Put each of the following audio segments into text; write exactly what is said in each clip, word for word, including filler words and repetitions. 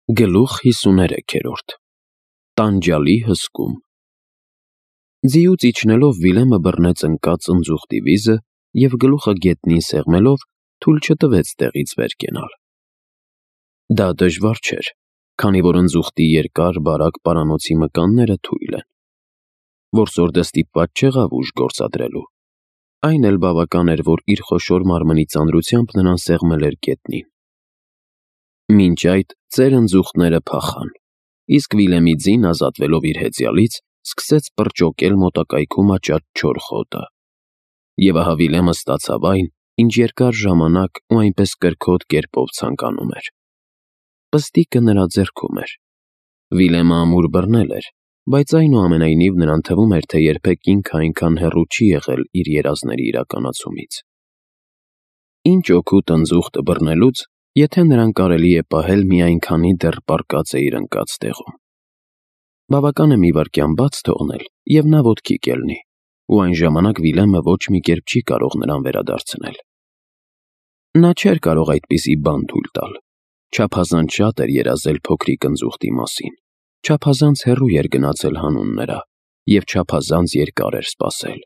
Գլուխ հիսուներեքերորդ Տանջալի հսկում Ձիուց իջնելով Վիլեմը բռնեց ընկած ընձուղտի վիզը և գլուխը գետնին սեղմելով թույլ չտվեց տեղից վեր կենալ։ Դա դժվար չէր, քանի որ ընձուղտի երկար, բարակ պարանոցի մկանները թույլ են։ Որսորդը ստիպված չեղավ ուժ գործադրելու։ Այն էլ բավական էր, որ իր խոշոր մարմնի ծանրությամբ նրան սեղմել էր գետնին։ Մինչ այդ ծեր ընձուղտները փախան, իսկ Վիլեմի ձին, ազատվելով իր հեծյալից, սկսեց պրճոկել մոտակայքում աճած չոր խոտը։ Եվ ահա Վիլեմը ստացավ այն, ինչ երկար ժամանակ ու այնպես կրքոտ կերպով ցանկանում էր։ Պստիկը նրա ձեռքում էր։ Վիլեմը ամուր բռնել էր, բայց այնուամենայնիվ նրան թվում էր, թե երբեք ինքը այնքան հեռու չի եղել իր երազների իրականացումից։ Ինչ օգուտ ընձուղտը բռնելուց, եթե նրան կարելի է պահել միայն քանի դեռ պառկած է իր ընկած տեղում։ Բավական է մի վայրկյան բաց թողնել, և նա ոտքի կելնի, ու այն ժամանակ Վիլեմը ոչ մի կերպ չի կարող նրան վերադարձնել։ Նա չէր կարող այդպիսի բան թույլ տալ։ Չափազանց շատ էր երազել փոքրիկ ընձուղտի մասին, չափազանց հեռու էր գնացել հանուն նրա, և չափազանց երկար էր սպասել։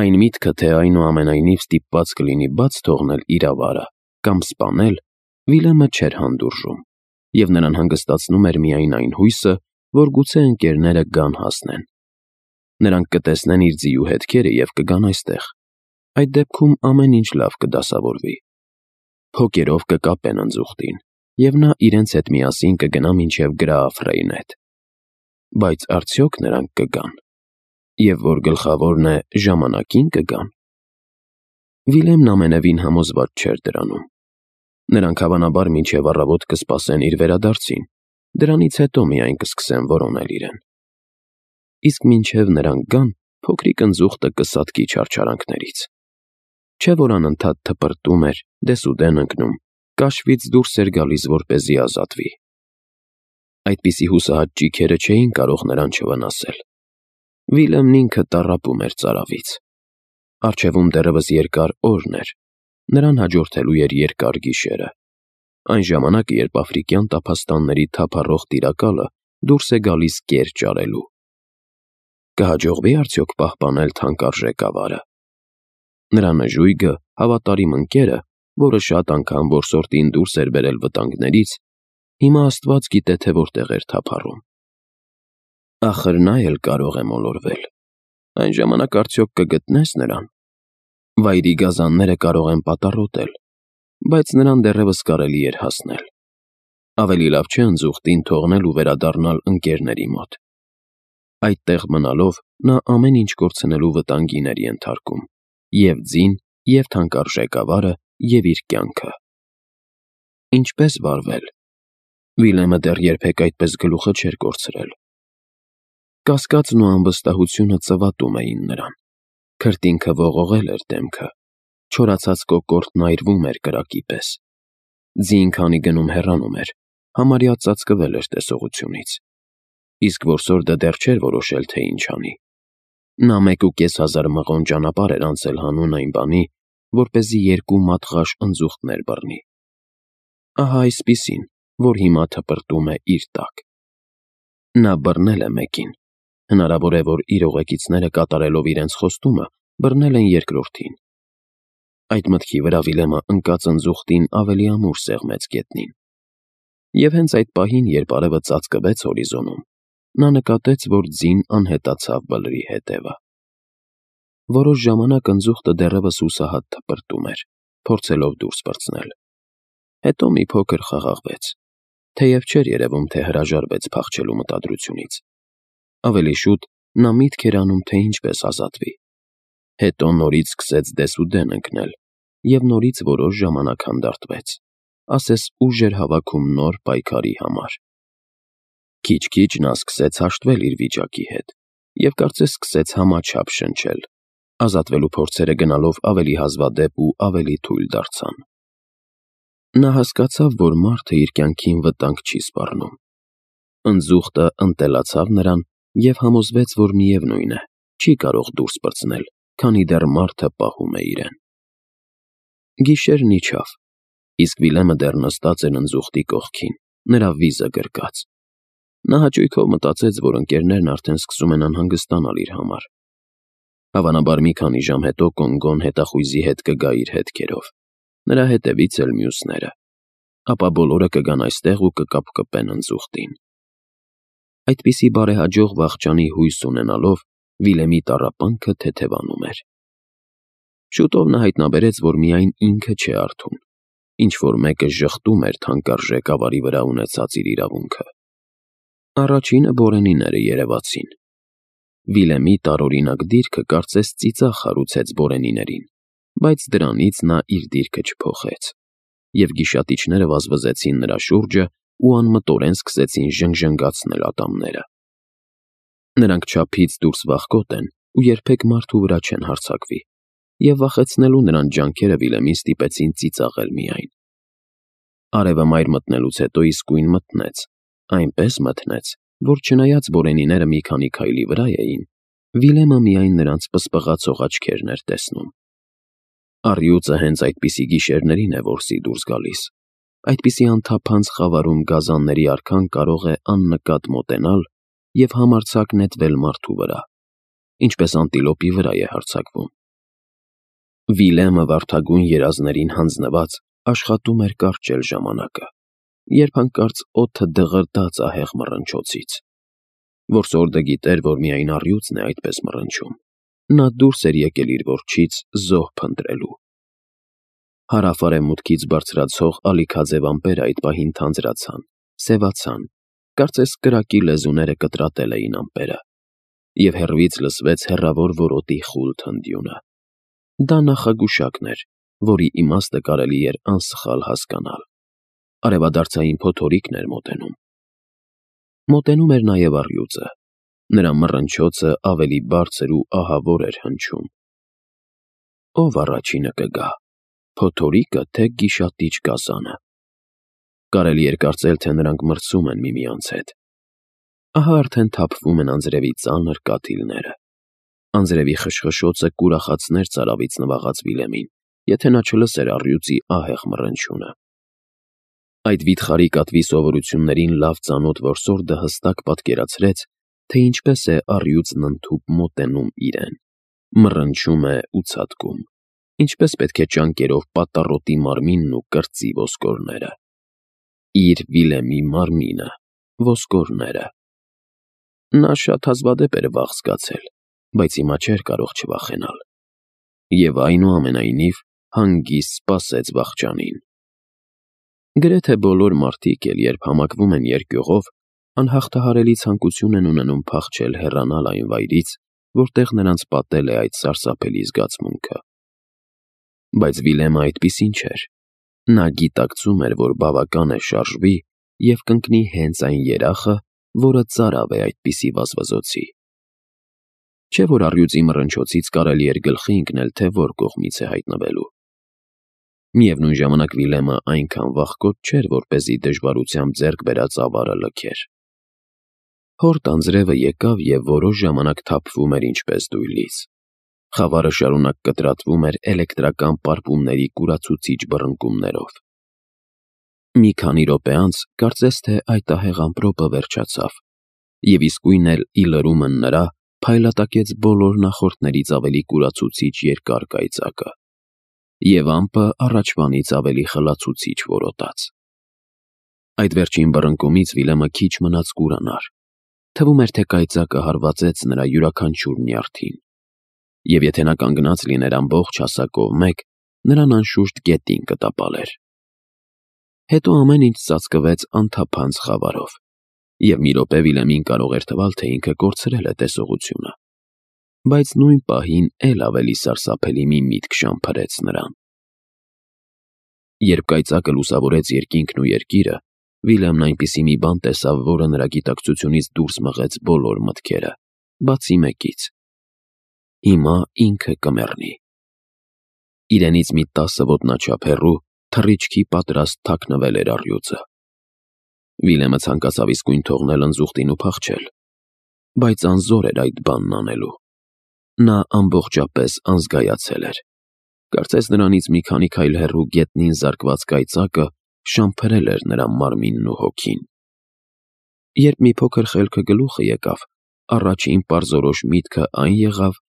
Այն միտքը, թե այնուամենայնիվ ստիպված կլինի բաց թողնել իր ավարը կամ սպանել, Վիլեմը չէր հանդուրժում, և նրան հանգստացնում էր միայն այն հույսը, որ գուցե ընկերները գան հասնեն։ Նրանք կտեսնեն իր ձիու հետքերը և կգան այստեղ։ Այդ դեպքում ամեն ինչ լավ կդասավորվի։ Փոկերով կկապեն ընձուղտին, և նա իրենց հետ միասին կգնա մինչև Գրաաֆ Ռեյնեթ։ Բայց արդյոք նրանք կգան։ Եվ որ գլխավորն է, ժամանակին կգան։ Վիլեմն ամենևին համոզված չէր դրանում։ Նրանք հավանաբար մինչև առավոտ կսպասեն իր վերադարձին, դրանից հետո միայն կսկսեն որոնել իրեն։ Իսկ մինչև նրանք գան, փոքրիկ ընձուղտը կսատկի չարչարանքներից։ Չէ՞ որ անընդհատ թպրտում էր, դեսուդեն ընկնում, կաշվից դուրս էր գալիս, որպեսզի ազատվի։ Այդպիսի հուսահատ ճիգերը չէին կարող նրան չվնասել։ Վիլեմն ինքը տառապում էր ծարավից։ Առջևում դեռևս երկար օրն էր, նրան հաջորդելու էր երկար գիշերը։ Այն ժամանակը, երբ աֆրիկյան տափաստանների թափառող տիրակալը դուրս է գալիս կեր ճարելու։ Կհաջողվի՞ արդյոք պահպանել թանկարժեք ավարը։ Նրա նժույգը, հավատարիմ ընկերը, որը շատ անգամ որսորդին դուրս էր բերել վտանգներից, հիմա Աստված գիտե, թե որտեղ էր թափառում։ Ախր նա էլ կարող է մոլորվել։ Այն ժամանակ արդյոք կգտնե՞ս նրան։ Վայրի գազանները կարող են պատառոտել, բայց նրան դեռևս կարելի էր հասնել։ Ավելի լավ չէ ընձուղտին թողնել ու վերադառնալ ընկերների մոտ։ Այդտեղ մնալով նա ամեն ինչ կորցնելու վտանգին էր ենթարկում՝ և ձին, և թանկարժեք ավարը, և իր կյանքը։ Ինչպե՞ս վարվել։ Վիլեմը դեռ երբեք այդպես գլուխը չէր կորցրել։ Կասկածն ու անվստահությունը ծվատում էին նրան։ Քրտինքը ողողել էր դեմքը, չորացած կոկորդն այրվում էր կրակի պես։ Ձին քանի գնում հեռանում էր, համարյա ծածկվել էր տեսողությունից։ Իսկ որսորդը դեռ չէր որոշել, թե ինչ անի։ Նա մեկ ու կես հազար մղոն ճանապարհ էր անցել հանուն այն բանի, որպեսզի երկու մատղաշ ընձուղտներ բռնի։ Ահա այսպիսին, որ հիմա թպրտում է իր տակ։ Նա բռնել է մեկին։ Հնարավոր է, որ իր ուղեկիցները կատարելով իրենց խոստումը, բռնել են երկրորդին։ Այդ մտքի վրա Վիլեմը ընկած ընձուղտին ավելի ամուր սեղմեց գետնին։ Եվ հենց այդ պահին, երբ արևը ծածկվեց հորիզոնում, նա նկատեց, որ ձին անհետացավ բլրի հետևը։ Որոշ ժամանակ ընձուղտը դեռևս հուսահատ թպրտում էր, փորձելով դուրս պրծնել։ Հետո մի փոքր խաղաղվեց, թեև չէր երևում, թե հրաժարվեց փախչելու մտադրությունից։ Ավելի շուտ նա միտք էր անում, թե ինչպես ազատվի։ Հետո նորից սկսեց դեսուդեն ընկնել և նորից որոշ ժամանակ հանդարտվեց, ասես ուժ էր հավաքում նոր պայքարի համար։ Քիչ-քիչ նա սկսեց հաշտվել իր վիճակի հետ և կարծես սկսեց համաչափ շնչել։ Ազատվելու փորձերը գնալով ավելի հազվադեպ ու ավելի թույլ դարձան։ Նա հասկացավ, որ մարդը իր կյանքին վտանգ չի սպառնում։ Ընձուղտը ընտելացավ նրան և համոզվեց, որ միևնույն է, չի կարող դուրս պրծնել, քանի դեռ մարդը պահում է իրեն։ Գիշերն իջավ, իսկ Վիլեմը դեռ նստած էր ընձուղտի կողքին, նրա վիզը գրկած։ Նա հաճույքով մտածեց, որ ընկերներն արդեն սկսում են անհանգստանալ իր համար։ Հավանաբար մի քանի ժամ հետո Կոնգոն հետախույզի հետ կգա իր հետքերով, նրա հետևից էլ մյուսները, ապա բոլորը կգան այստեղ ու կկապկպեն ընձուղտին։ Այդպիսի բարեհաջող վախճանի հույս ունենալով Վիլեմի տառապանքը թեթևանում էր։ Շուտով նա հայտնաբերեց, որ միայն ինքը չէ արթուն, ինչ-որ մեկը ժխտում էր թանկարժեք ավարի վրա ունեցած իր իրավունքը։ Առաջինը բորենիները երևացին։ Վիլեմի տարօրինակ դիրքը կարծես ծիծաղ հարուցեց բորենիներին, բայց դրանից նա իր դիրքը չփոխեց, և գիշատիչները վազվզեցին նրա շուրջը ու անմտորեն սկսեցին ժնգժնգացնել ատամները։ Նրանք չափից դուրս վախկոտ են ու երբեք մարդու վրա չեն հարձակվի, և վախեցնելու նրան ջանքերը Վիլեմին ստիպեցին ծիծաղել միայն։ Արևը մայր մտնելուց հետո իսկույն մթնեց, այնպես մթնեց, որ չնայած բորենիները մի քանի քայլի վրա էին, Վիլեմը միայն նրանց պսպղացող աչքերն էր տեսնում։ Առյուծը հենց այդպիսի գիշերներին է որսի դուրս գալիս, այդպիսի անթափանց խավարում գազանների արքան կարող է աննկատ մոտենալ և համարձակ նետվել մարդու վրա, ինչպես անտիլոպի վրա է հարձակվում։ Վիլեմը վարդագույն երազներին հանձնված աշխատում էր կարճել ժամանակը, երբ հանկարծ օդը դղրդաց ահեղ մռնչոցից։ Որսորդը գիտեր, որ միայն առյուծն է այդպես մռնչում։ Նա դուրս էր եկել իր որջից զոհ փնտրելու։ Հարավ-արևմուտքից բարձրացող ալիքաձև ամպերը այդ պահին թանձրացան, սևացան, կարծես կրակի լեզուները կտրատել էին ամպերը, և հեռվից լսվեց հեռավոր որոտի խուլ թնդյունը։ Դա նախագուշակն էր, որի իմաստը կարելի էր անսխալ հասկանալ։ Արևադարձային փոթորիկն էր մոտենում։ Մոտենում էր նաև առյուծը։ Նրա մռնչոցը ավելի բարձր ու ահավոր էր հնչում։ Ո՞վ առաջինը կգա, փոթորիկը թե գիշատիչ գազանը։ Կարելի էր կարծել, թե նրանք մրցում են միմյանց հետ։ Ահա արդեն թափվում են անձրևի ծանր կաթիլները։ Անձրևի խշխշոցը կուրախացներ ծարավից նվաղած Վիլեմին, եթե նա չլսեր առյուծի ահեղ մռնչյունը։ Այդ վիթխարի կատվի սովորություններին լավ ծանոթ որսորդը հստակ պատկերացրեց, թե ինչպես է առյուծն ընդհուպ մոտենում իրեն, մռնչում է ու ցատկում, ինչպես պետք է ճանկերով պատառոտի մարմինն ու կրծի ոսկորները։ Իր Վիլեմի մարմինը, ոսկորները։ Նա շատ հազվադեպ էր վախ զգացել, բայց հիմա չէր կարող չվախենալ։ Եվ այնուամենայնիվ հանգիստ սպասեց վախճանին։ Գրեթե բոլոր մարդիկ էլ, երբ համակվում են երկյուղով, անհաղթահարելի ցանկություն են ունենում փախչել հեռանալ այն վայրից, որտեղ նրանց պատել է այդ սարսափելի զգացմունքը։ Բայց Վիլեմը այդպիսին չէր։ Նա գիտակցում էր, որ բավական է շարժվի և կընկնի հենց այն երախը, որը ծարավ է այդպիսի վազվզոցի։ Չէ՞ որ առյուծի մռնչոցից կարելի էր գլխի ընկնել, թե որ կողմից է հայտնվելու։ Միևնույն ժամանակ Վիլեմը այնքան վախկոտ չէր, որպեսզի դժվարությամբ ձեռք բերած ավարը լքեր։ Հորդ անձրևը եկավ և որոշ ժամանակ թափվում էր ինչպես դույլից։ Խավարը շարունակ կտրատվում էր էլեկտրական պարպումների կուրացուցիչ բռնկումներով։ Մի քանի րոպե անց կարծես թե այդ ահեղ ամպրոպը վերջացավ, և իսկույն էլ ի լրումն նրա փայլատակեց բոլոր նախորդներից ավելի կուրացուցիչ երկար կայծակը, և ամպը առաջվանից ավելի խլացուցիչ որոտաց։ Այդ վերջին բռնկումից Վիլեմը քիչ մնաց կուրանար։ Թվում էր, թե կայծակը հարվածեց նրա յուրաքանչյուր նյարդին, և եթե նա կանգնած լիներ ամբողջ հասակով մեկ, նրան անշուշտ գետին կտապալեր։ Հետո ամեն ինչ ծածկվեց անթափանց խավարով, և մի րոպե Վիլեմին կարող էր թվալ, թե ինքը կորցրել է տեսողությունը։ Բայց նույն պահին էլ ավելի սարսափելի մի միտք շամփրեց նրան։ Երբ կայծակը լուսավորեց երկինքն ու երկիրը, Վիլեմն այնպիսի մի բան տեսավ, որը նրա գիտակցությունից դուրս մղեց բոլոր մտքերը, բացի մեկից. հիմա ինքը կմեռնի։ Իրենից մի տասը ոտնաչափ հեռու թռիչքի պատրաստ թաքնվել էր առյուծը։ Վիլեմը ցանկացավ իսկույն թողնել ընձուղտին ու փախչել, բայց անզոր էր այդ բանն անելու։ Նա ամբողջապես անզգայացել էր։ Կարծես նրանից մի քանի քայլ հեռու գետնին զարկված կայծակը շամփրել էր նրա մարմինն ու հոգին։ Երբ մի փոքր խելքը գլուխը եկավ, առաջին պարզորոշ միտքը այն եղավ,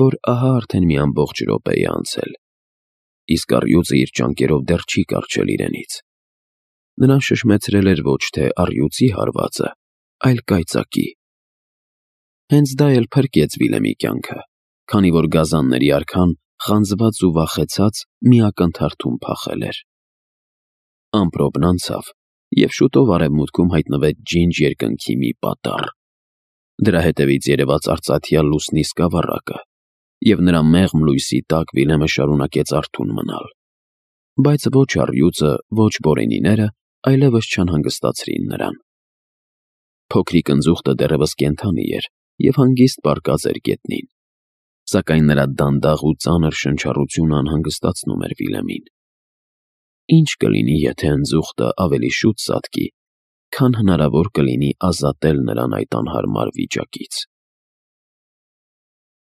որ ահա արդեն մի ամբողջ րոպե է անցել, իսկ առյուծը իր ճանկերով դեռ չի կառչել իրենից։ Նրան շշմեցրել էր ոչ թե առյուծի հարվածը, այլ կայծակի։ Հենց դա էլ փրկեց Վիլեմի կյանքը, քանի որ գազանների արքան խանձված ու վախեցած մի ակնթարթում փախել էր։ Ամպրոպն անցավ, և շուտով արևմուտքում հայտնվեց ջինջ երկնքի մի պատառ։ Դրա հետևից երևաց արծաթյալ լուսնի սկավառակը, և նրա մեղմ լույսի տակ Վիլեմը շարունակեց արթուն մնալ։ Բայց ոչ առյուծը, ոչ բորենիները այլևս չանհանգստացրին նրան։ Փոքրիկ ընձուղտը դեռևս կենդանի էր և հանգիստ պառկած էր գետնին, սակայն նրա դանդաղ ու ծանր շնչառությունը անհանգստացնում էր Վիլեմին։ Ի՞նչ կլինի, եթե ընձուղտը ավելի շուտ ծածկի, քան հնարավոր կլինի ազատել նրան այդ անհարմար վիճակից։